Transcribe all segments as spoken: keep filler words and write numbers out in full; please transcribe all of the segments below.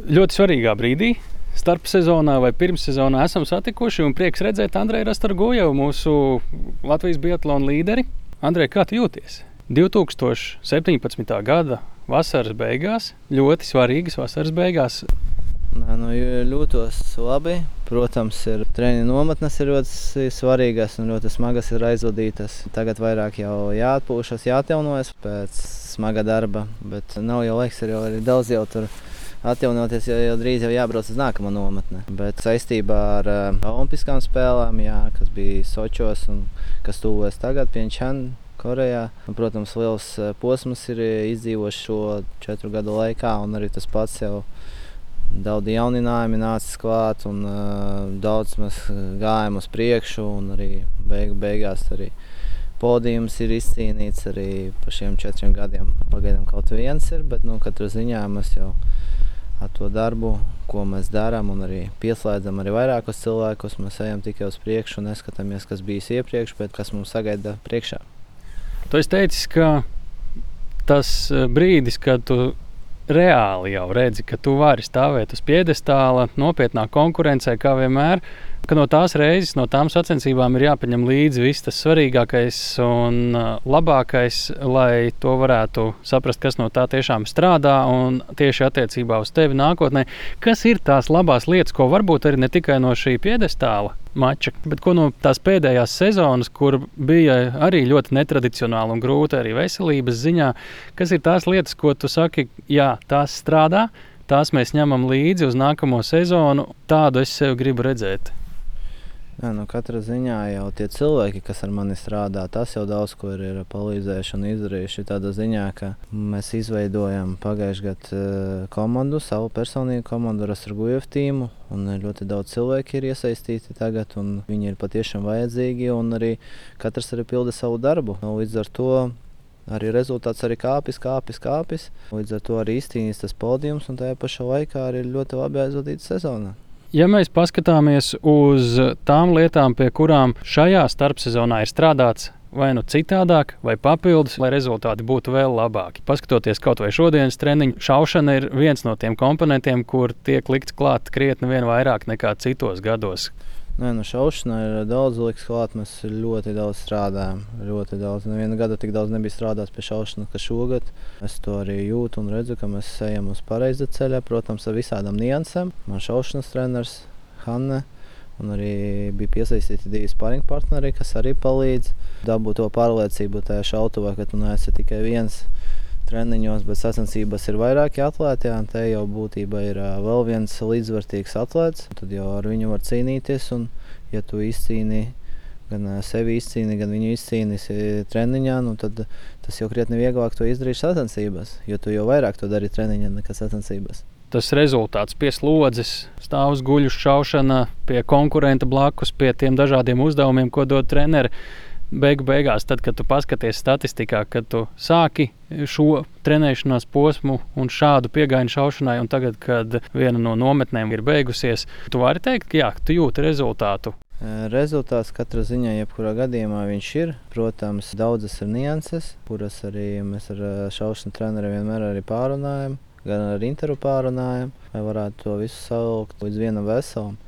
ļoti svarīgā brīdī, starp sezonā vai pirms sezonā esam satikuši un prieks redzēt Andreju Rastorgujevu, mūsu Latvijas biatlona līderi. Andrej, kā tu jūties? divi tūkstoši septiņpadsmitā gada vasaras beigās, ļoti svarīgas vasaras beigās. Nē, nu, jūtos labi. Protams, ir treniņu nometnes ir ļoti svarīgas un ļoti smagas ir aizvadītas. Tagad vairāk jau jāatpūšas, jāatjaunojas pēc smaga darba, bet nav jau laiks, ir jau arī daudz jau tur atjaunoties, jo jau drīz jau jābrauc uz nākamo nometni. Bet saistībā ar uh, olimpiskām spēlēm, jā, kas bija Sočos un kas tuvojas tagad Pjongčan, Korejā. Un, protams, liels posms ir izdzīvots šo četru gadu laikā un arī tas pats jau daudz jauninājumi nācis klāt un uh, daudz mēs gājam uz priekšu un arī beigu beigās arī podījums ir izcīnīts arī pa šiem četriem gadiem. Pagaidām kaut viens ir, bet nu, katrā ziņā mēs jau ar to darbu, ko mēs darām un arī pieslēdzam arī vairākus cilvēkus, mēs ejam tikai uz priekšu un neskatāmies, kas bijis iepriekš, bet kas mums sagaida priekšā. Tu esi teicis, ka tas brīdis, kad tu reāli jau redzi, ka tu vari stāvēt uz piedestāla, nopietnā konkurencē, kā vienmēr, ka no tās reizes, no tām sacensībām ir jāpaņem līdzi viss tas svarīgākais un labākais, lai to varētu saprast, kas no tā tiešām strādā un tieši attiecībā uz tevi nākotnē. Kas ir tās labās lietas, ko varbūt arī ne tikai no šī piedestāla mača, bet ko no tās pēdējās sezonas, kur bija arī ļoti netradicionāli un grūti arī veselības ziņā, kas ir tās lietas, ko tu saki, jā, tās strādā, tās mēs ņemam līdzi uz nākamo sezonu, tādu es sev gribu redzēt. Jā, nu katrā ziņā jau tie cilvēki, kas ar mani strādā, tas jau daudz ko ir, ir palīdzējuši un izdarījuši tādā ziņā, ka mēs izveidojam pagājušajā gadā komandu, savu personīgu komandu, Rastorgujevu tīmu, un ļoti daudz cilvēki ir iesaistīti tagad, un viņi ir patiešām vajadzīgi, un arī katrs arī pilda savu darbu. Līdz ar to arī rezultāts arī kāpis, kāpis, kāpis. Līdz ar to arī izcīnīs tas podījums, un tajā pašā laikā arī ļoti labi aizvadīta sezona. Ja mēs paskatāmies uz tām lietām, pie kurām šajā starpsezonā ir strādāts vai nu citādāk, vai papildus, lai rezultāti būtu vēl labāki. Paskatoties kaut vai šodienas treniņu, šaušana ir viens no tiem komponentiem, kur tiek likts klāt krietni vien vairāk nekā citos gados. Nē, nu šaušanā ir daudz liks klāt, mēs ļoti daudz strādājam, ļoti daudz. Neviena gada tik daudz nebija strādāts pie šaušanas, ka šogad. Es to arī jūtu un redzu, ka mēs ejam uz pareiza ceļa, protams, ar visādām niansēm. Man šaušanas treneris Hanne un arī bija piesaistīti divi sparring partneri, kas arī palīdz dabūt to pārliecību tajā šautuvā, ka tu neesi tikai viens treniņos, bet sacensības ir vairāki atlēti, un te jau būtībā ir vēl viens līdzvērtīgs atlēts. Tad jau ar viņu var cīnīties, un ja tu izcīni, gan sevi izcīni, gan viņu izcīnīsi treniņā, nu tad tas jau krietni vieglāk to izdarīt sacensības, jo tu jau vairāk to dari treniņā nekā sacensības. Tas rezultāts pie slodzes, stāvus guļu šaušana, pie konkurenta blakus, pie tiem dažādiem uzdevumiem, ko dod treneri. Beigu beigās, tad, kad tu paskaties statistikā, kad tu sāki šo trenēšanās posmu un šādu piegājienu šaušanai, un tagad, kad viena no nometnēm ir beigusies, tu vari teikt, ka jā, tu jūti rezultātu. Rezultāts katrā ziņā, jebkurā gadījumā viņš ir. Protams, daudzas ir nianses, kuras arī mēs ar šaušanu treneri vienmēr arī pārunājam, gan ar Interu pārunājam, lai varētu to visu savilkt līdz vienam veselam.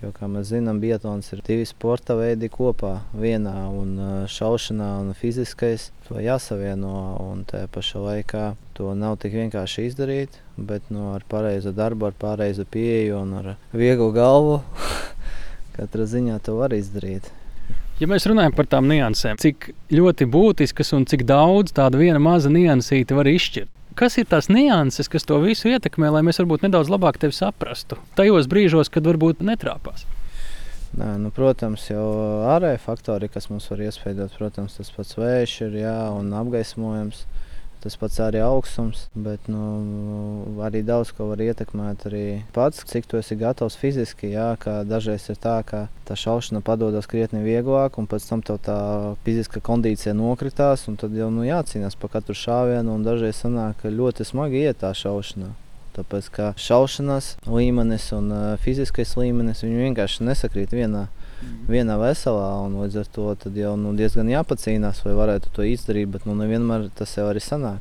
Jo, kā mēs zinām, biatlons ir divi sporta veidi kopā vienā, un šaušanā un fiziskais to jāsavieno, un tajā pašā laikā to nav tik vienkārši izdarīt, bet no ar pareizu darbu, ar pareizu pieeju un ar vieglu galvu katrā ziņā to var izdarīt. Ja mēs runājam par tām niansēm, cik ļoti būtiskas un cik daudz tāda viena maza niansīte var izšķirt? Kas ir tās nianses, kas to visu ietekmē, lai mēs varbūt nedaudz labāk tevi saprastu? Tajos brīžos, kad varbūt netrāpās. Nē, nu, protams, jau ārēji faktori, kas mums var iespēdot, protams, tas pats vējš ir, jā, un apgaismojums, tas pats arī augstums, bet nu, arī daudz ko var ietekmēt arī pats, cik tu esi gatavs fiziski, jā, ka dažreiz ir tā, ka tā šaušana padodas krietni vieglāk, un pēc tam tev tā fiziska kondīcija nokritās, un tad jau nu, jācīnās pa katru šāvienu, un dažreiz sanāk, ka ļoti smagi iet tā šaušanā. Tāpēc, ka šaušanas līmenis un uh, fiziskais līmenis, viņi vienkārši nesakrīt vienā, vienā veselā, un līdz ar to tad jau nu, diezgan jāpacīnās, vai varētu to izdarīt, bet nu, nevienmēr tas jau arī sanāk.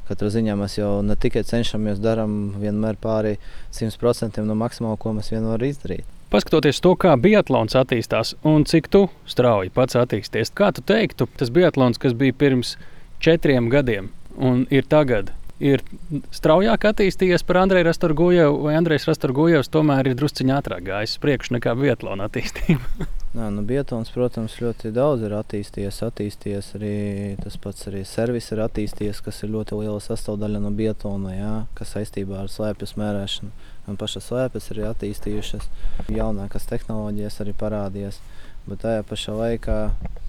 Katrā ziņā mēs jau ne tikai cenšamies, darām vienmēr pāri simt procentiem no maksimāla, ko mēs vien varam izdarīt. Paskatoties to, kā biatlons attīstās un cik tu strauji pats attīsties, kā tu teiktu, tas biatlons, kas bija pirms četriem gadiem un ir tagad, ir straujāk attīstījies par Andreju Rastorgujevu, vai Andrejs Rastorgujevs tomēr ir drusciņā ātrāk gājis priekš nekā biatlona attīstība? Nā, nu, biatlons, protams, ļoti daudz ir attīstījies, attīstījies arī tas pats arī servis ir attīstījies, kas ir ļoti liela sastāvdaļa no biatlona, jā, kas saistībā ar slēpju smērēšanu. Un pašas slēpes ir attīstījušas, jaunākas tehnoloģijas arī parādījies. Bet tajā pašā laikā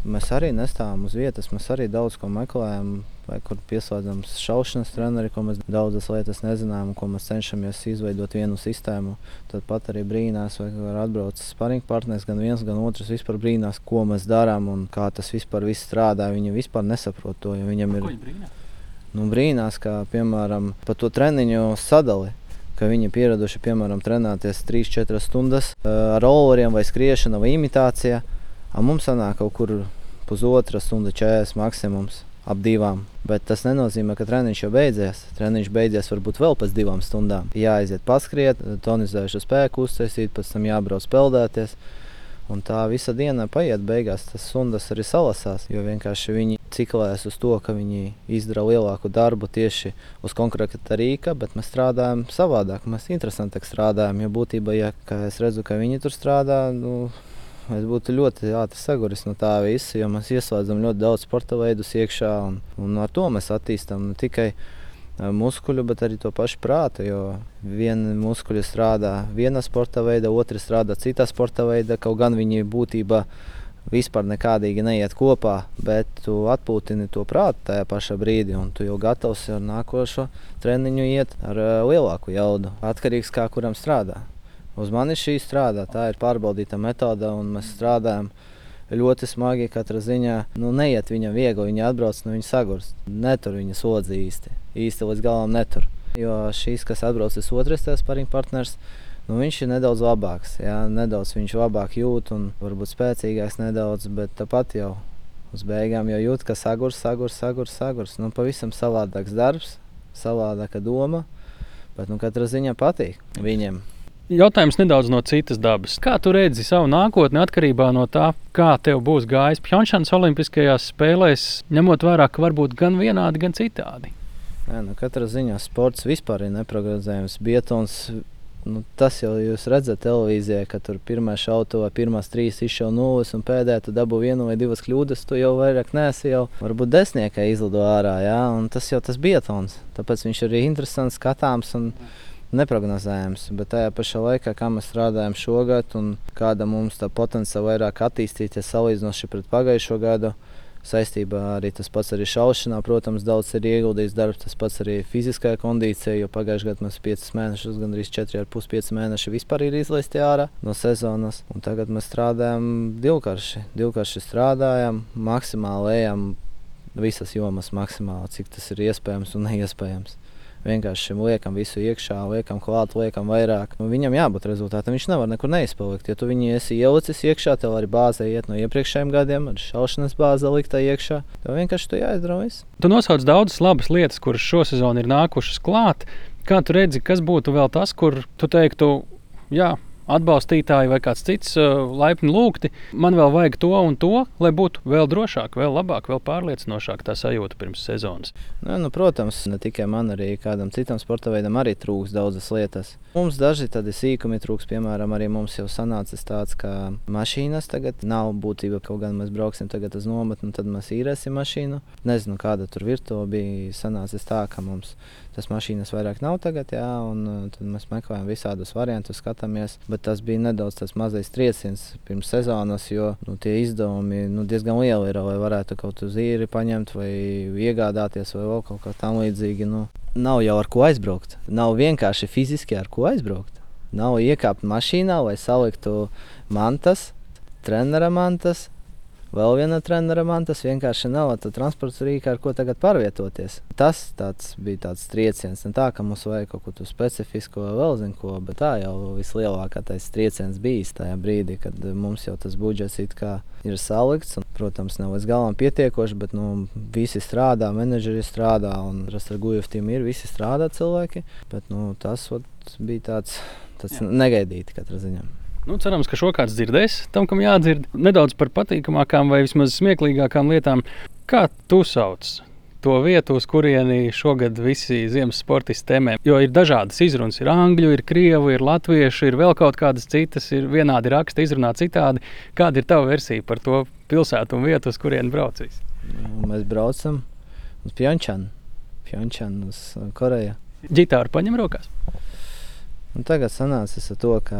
mēs arī nestāvam uz vietas, mēs arī daudz ko meklējam, vai kur pieslēdzam šaušanas treneri, ko mēs daudzas lietas nezinām, ko mēs cenšamies izveidot vienu sistēmu. Tad pat arī brīnās, vai var atbrauc sparing partners, gan viens, gan otrs vispār brīnās, ko mēs darām un kā tas vispār viss strādā. Viņi vispār nesaprot to, jo viņam ir... Ko viņi brīnās? Nu, brīnās, kā piemēram par to treniņu sadali. Ka viņi pieraduši, piemēram, trenēties trīs četras stundas uh, ar rolleriem vai skriešana vai imitācija. A mums sanāk kaut kur pusotra stunda četrdesmit maksimums ap divām. Bet tas nenozīmē, ka treniņš jau beidzies. Treniņš beidzies varbūt vēl pēc divām stundām. Jāaiziet paskriet, tonizējušu spēku uztaisīt, pēc tam jābrauc peldēties. Un tā visa diena paiet, beigās tas stundas arī salasās, jo vienkārši viņi ciklējas uz to, ka viņi izdara lielāku darbu tieši uz konkrēta rīka, bet mēs strādājam savādāk, mēs interesantāk strādājam, jo būtībā, ja kā es redzu, ka viņi tur strādā, nu, es būtu ļoti ātri saguris no tā visa, jo mēs ieslēdzam ļoti daudz sporta veidus iekšā, un, un ar to mēs attīstam ne tikai muskuļu, bet arī to pašu prātu, jo viena muskuļi strādā viena sporta veida, otri strādā citā sporta veida, kaut gan viņi būtībā vispār nekādīgi neiet kopā, bet tu atpūtini to prātu tajā pašā brīdī, un tu jau gatavs ar nākošo treniņu iet ar uh, lielāku jaudu, atkarīgs kā kuram strādā. Uz mani šī strādā, tā ir pārbaudīta metoda, un mēs strādājam ļoti smagi katrā ziņā. Nu, neiet viņam viegli, viņa atbrauc, nu viņa sagurst. Netur viņa slodzi īsti. Īsti līdz galam netur. Jo šīs, kas atbraucis otrais tās sparing partners, nu viņš ir nedaudz labāks. Jā, nedaudz viņš labāk jūt un varbūt spēcīgāks nedaudz, bet tāpat jau uz beigām jau jūt, ka sagurs, sagurs, sagurs, sagurs. Nu, pavisam savādāks darbs, savādāka doma, bet nu katrā ziņā patīk viņiem. Jautājums nedaudz no citas dabas. Kā tu redzi savu nākotni atkarībā no tā, kā tev būs gājis Pjongčanas olimpiskajās spēlēs, ņemot vērā, ka varbūt gan vienādi, gan citādi? Jā, nu katrā ziņā sports vispār ir neprognozējams. Biatlons, nu, tas jau jūs redzat televīzijā, ka tur pirmā šautavā, pirmās trīs izšauj nulles un pēdējā tu dabū vienu vai divas kļūdas, tu jau vairāk neesi jau varbūt desmitniekā izlido ārā, jā, un tas jau tas biatlons. Tāpēc viņš arī interesants, skatāms un neprognozējams, bet tajā pašā laikā, kā mēs strādājam šogad un kāda mums tā potenciāli vairāk attīstīties salīdzinoši pret pagājušo gadu, saistībā arī tas pats arī šaušanā, protams, daudz ir ieguldījis darbs, tas pats arī fiziskajā kondīcijā, jo pagājušajā gadā mēs piecus mēnešus, gandrīz četri ar pus pieci mēneši vispār ir izlaisti ārā no sezonas, un tagad mēs strādājam divkarši, divkarši strādājam, maksimāli ejam visas jomas maksimāli, cik tas ir iespējams un neiespējams. Vienkārši liekam visu iekšā, liekam klāt, liekam vairāk. Nu, viņam jābūt rezultātam, viņš nevar nekur neizpalikt. Ja tu viņu esi ielicis iekšā, tev arī bāze iet no iepriekšējiem gadiem, ar šaušanas bāze liktā iekšā. Tev vienkārši tu jāizdara viss. Tu nosauc daudzas labas lietas, kuras šosezon ir nākušas klāt. Kā tu redzi, kas būtu vēl tas, kur tu teiktu, jā, atbalstītāji vai kāds cits uh, laipni lūgti, man vēl vajag to un to, lai būtu vēl drošāk, vēl labāk, vēl pārliecinošāk tā sajūta pirms sezonas? Nu, nu, protams, ne tikai man, arī kādam citam sporta veidam arī trūks daudzas lietas. Mums daži tādi sīkumi trūks, piemēram, arī mums jau sanācis tāds, ka mašīnas tagad nav būtība, kaut gan mēs brauksim tagad uz nometni, tad mēs īrēsim mašīnu. Nezinu, kāda tur virtuve bija sanācis tā, ka mums tas mašīnas vairāk nav tagad, jā, un tad mēs meklējam visādus variantus, skatāmies, bet tas bija nedaudz tas mazais trieciens pirms sezonas, jo nu, tie izdevumi nu, diezgan lieli ir, lai varētu kaut uz īri paņemt vai iegādāties vai vēl kaut kā tam līdzīgi. Nu, nav jau ar ko aizbraukt, nav vienkārši fiziski ar ko aizbraukt. Nav iekāpt mašīnā, lai saliktu mantas, trenera mantas, Vēl viena trenera man tas vienkārši nav tā transporta rīka, ar ko tagad pārvietoties. Tas tāds bija tāds trieciens, ne tā, ka mums vajag kaut ko tu specifisko vēl zin ko, bet tā jau vislielākais trieciens bijis tajā brīdī, kad mums jau tas budžets it kā ir salikts. Un, protams, nav līdz galam pietiekoši, bet nu, visi strādā, menedžeri strādā un Rastargujev tim ir, visi strādā cilvēki. Bet nu, tas ot, bija tāds, tāds negaidīti katrā ziņā. Nu, cerams, ka šo kāds dzirdēs, tam, kam jādzird. Nedaudz par patīkamākām vai vismaz smieklīgākām lietām. Kā tu sauc to vietu, uz kurieni šogad visi ziemas sportisti temē? Jo ir dažādas izrunas. Ir angļu, ir krievu, ir latviešu, ir vēl kaut kādas citas, ir vienādi raksti, izrunā citādi. Kāda ir tava versija par to pilsētu un vietu, uz kurieni brauc visi? Mēs braucam uz Pjončanu, Pjončanu uz Koreju. Ģitāru paņem rokās? Un tagad sanācis ar to, ka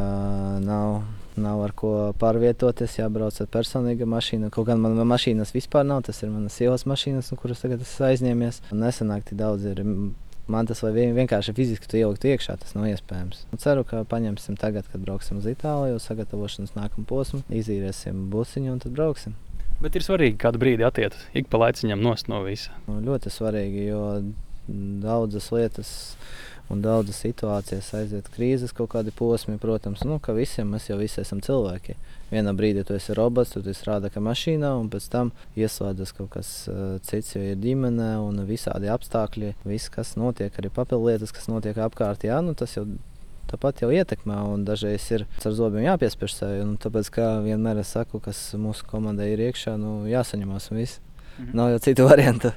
nav, nav ar ko pārvietoties, jābrauc ar personīgu mašīnu. Kaut gan man mašīnas vispār nav, tas ir manas sievas mašīnas, kuras tagad esmu aizņēmies. Nesanāk tik daudz ir. Man tas vai vienkārši fiziski tu ielikt iekšā, tas nav iespējams. Un ceru, ka paņemsim tagad, kad brauksim uz Itāliju, sagatavošanas nākamu posmu, izīrēsim busiņu un tad brauksim. Bet ir svarīgi kādu brīdi atiet ik pa laiciņam nost no visa. Nu, ļoti svarīgi, jo daudzas lietas un daudzas situācijas aiziet krīzes kaut kādi posmi, protams, nu, ka visiem mēs jau visi esam cilvēki. Vienā brīdī tu esi robots, tu strādā kā mašīnā, un pēc tam ieslēdzas kaut kas uh, cits, jo ir ģimene un visādi apstākļi. Viss, kas notiek, arī papildu lietas, kas notiek apkārt, jā, nu, tas jau tāpat jau ietekmē, un dažreiz ir ar zobiem jāpiespiež sevi. Un tāpēc, kā vienmēr es saku, kas mūsu komandai ir iekšā, nu, jāsaņemās un viss. Mhm. Nav jau citu variantu.